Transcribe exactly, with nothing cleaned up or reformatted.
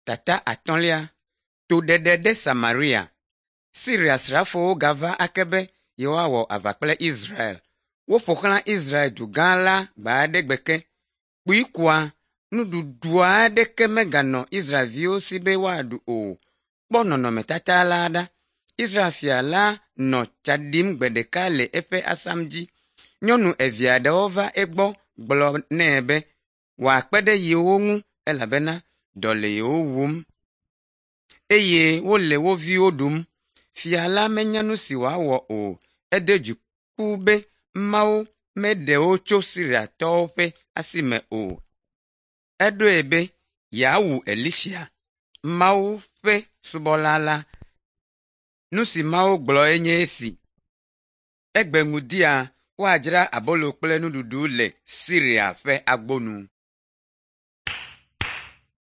Tata atɔ̃lia. Toɖeɖe ɖe Samaria. Siria srafowo gava ake be yewoawɔ aʋa kple Israel. Woƒo xlã Israel dugã la gbe aɖe gbe ke. Kpui koa, nuɖuɖu aɖeke meganɔ Israelviwo si be woaɖu o. Kpɔ nɔnɔmetata la ɖa. Israel fia la nɔ tsa ɖim gbe ɖeka le eƒe asam dzi. Nyɔnu eve aɖewo va egbɔ gblɔ nɛ be wòakpe ɖe yewo ŋu elabena dɔ le yewo wum eye wole wo viwo ɖum. Fia la menya nu si wòawɔ o. Edo dziku be Mawu meɖe wo tso Siriatɔwo ƒe asi me o. Eɖoe be yeawu Elisa, Mawu ƒe subɔla la. Nu si Mawu gblɔe nye esi. Egbe ŋdia, woadzra abolo kple nuɖuɖu le Siria ƒe agbo nu.